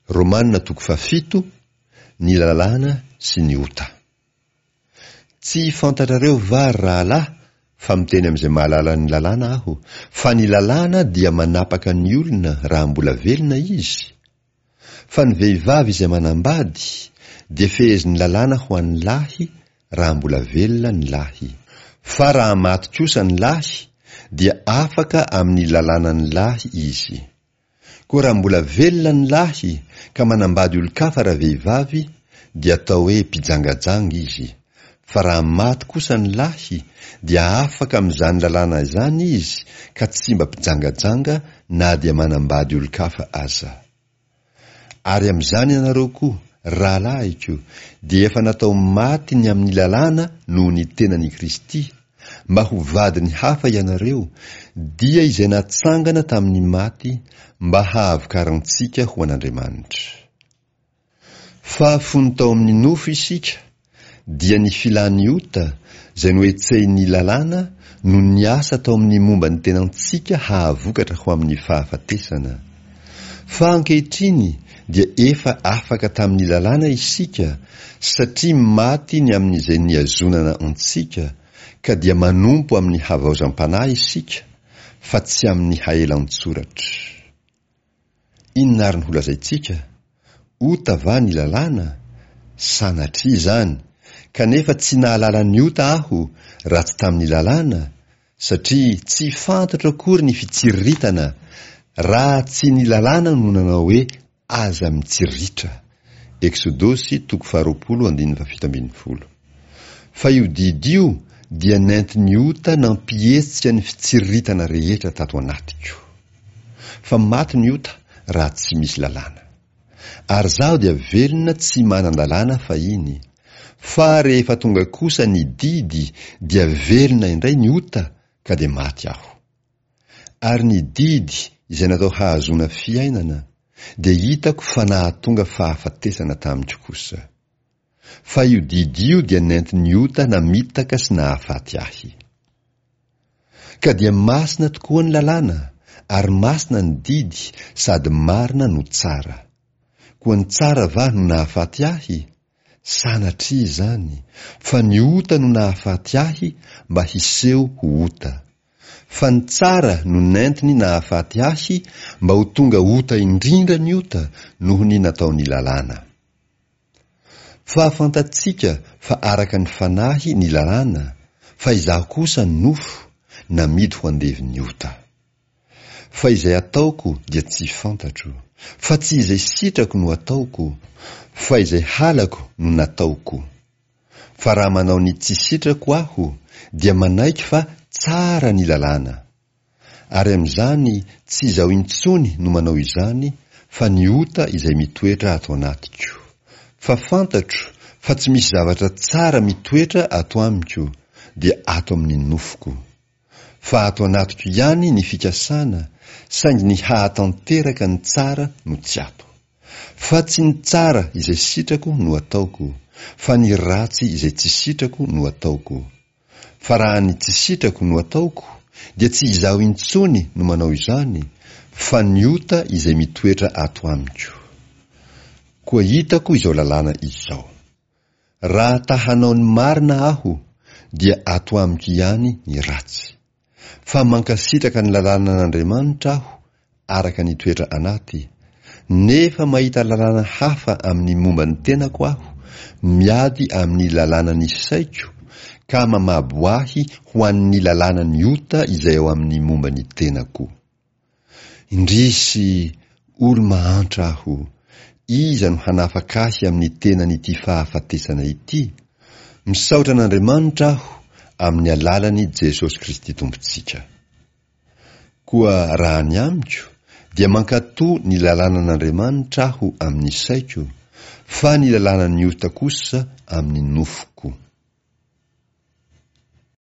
Romana toko fahafito, Ny lalàna sy ny ota. Tsy fantatrareo va, ry rahalahy, fa miteny amin'izay mahalala ny lalàna aho, fa ny lalàna dia manapaka ny olona raha mbola velona izy? Fa ny vehivavy izay manambady dia fehezin'ny lalàna ho an'ny lahy raha mbola velona ny lahy. Fa raha maty kosa ny lahy dia afaka amin'ny lalànan'ny lahy izy. Koa raha mbola velona ny lahy ka manambady olon-kafa ravehivavy dia atao hoe mpijangajanga izy, fa raha maty kosa ny lahy dia afaka amin'izany lalàna izany izy ka tsy mba mpijangajanga na dia manambady olon-kafa aza. Ary amin'izany ianareo koa, rahalahiko, dia efa natao maty ny amin'ny lalàna noho ny tenan'i Kristy, mba ho vadin'ny hafa ianareo, dia izay natsangana tamin'ny maty mba hahavokarantsika ho an'Andriamanitra. Fa fony tao amin'ny nofo isika, dia ny filan'ny ota, izay nohetsehin'ny lalàna, no niasa tao amin'ny momba ny tenantsika hahavokatra ho amin'ny fahafatesana. Fa ankehitriny dia efa afaka tamin'ny lalàna isika, satria maty ny amin'izay nihazonana antsika, ka dia manompo amin'ny havaozam-panahy isika, fa tsy amin'ny haelan-tsoratra. Inona àry no holazaintsika? Ota va ny lalàna? Sanatria izany! Kanefa tsy nahalala ny ota aho raha tsy tamin'ny lalàna, satria tsy fantatro akory ny fitsiriritana raha tsy ny lalàna no nanao hoe aza mitsiriritra. Eksodosy toko faharoapolo andininy fahafito ambin'ny folo. Fa io didy io dia nentin'ny ota nampihetsika ny fitsiriritana rehetra tato anatiko. Fa maty ny ota raha tsy misy lalàna. Ary izaho dia velona tsy manan-dalàna fahiny. Fa rehefa tonga kosa ny didy dia velona indray ny ota ka dia maty aho. Ary ny didy izay natao hahazoana fiainana dia hitako fa nahatonga fahafatesana tamiko kosa. Fa io didy io dia nentin'ny ota namitaka sy nahafaty ahy. Ka dia masina tokoa ny lalàna, ary masina ny didy sady marina no tsara. Koa ny tsara va no nahafaty ahy? Sanatria izany, fa ny ota no nahafaty ahy mba hiseho ho ota. Fa ny tsara no nentiny nahafaty ahy mba ho tonga ota indrindra ny ota noho ny nataon'ny lalàna. Fa fantatsika fa araka ny fanahy ny lalàna, fa izaho kosa nofo, namidy ho andevon'ny ota. Fa izay ataoko dia tsy fantatro, fa tsy izay sitrako no ataoko, fa izay halako no nataoko. Fa raha manao ny tsy sitrako aho, dia manaiky fa tsara ny lalàna. Ary amin'izany tsy izaho intsony no manao izany fa ny ota izay mitoetra ato anatiko. Fa fantatro fa tsy misy zavatra tsara mitoetra ato amiko dia ato amin'ny nofoko. Fa ato anatiko ihany ny fikasana saingy ny hahatanteraka ny tsara no tsy ato. Fa tsy ny tsara izay sitrako no ataoko fa ny ratsy izay tsy sitrako no ataoko. Fa raha ny tsy sitrako no ataoko, dia tsy izaho intsony no manao izany, fa ny ota izay mitoetra ato amiko. Koa hitako izao lalàna izao. Raha ta hanao ny marina aho, dia ato amiko ihany ny ratsy. Fa mankasitraka ny lalànan'Andriamanitra aho araka ny toetra anaty, nefa mahita lalàna hafa amin'ny momba ny tenako aho, miady amin'ny lalànan'ny saiko, ka mamabo ahy ho an'ny lalànan'ny ota izay ao amin'ny momba ny tenako. Indrisy, olo-mahantra aho! Iza no hanafaka ahy amin'ny tenan'ity fahafatesana ity? Misaotra an'Andriamanitra aho amin'ny alalan'i Jesosy Kristy Tompontsika. Koa raha ny amiko, dia mankatò ny lalànan'Andriamanitra aho amin'ny saiko, fa ny lalànan'ny ota kosa amin'ny nofoko.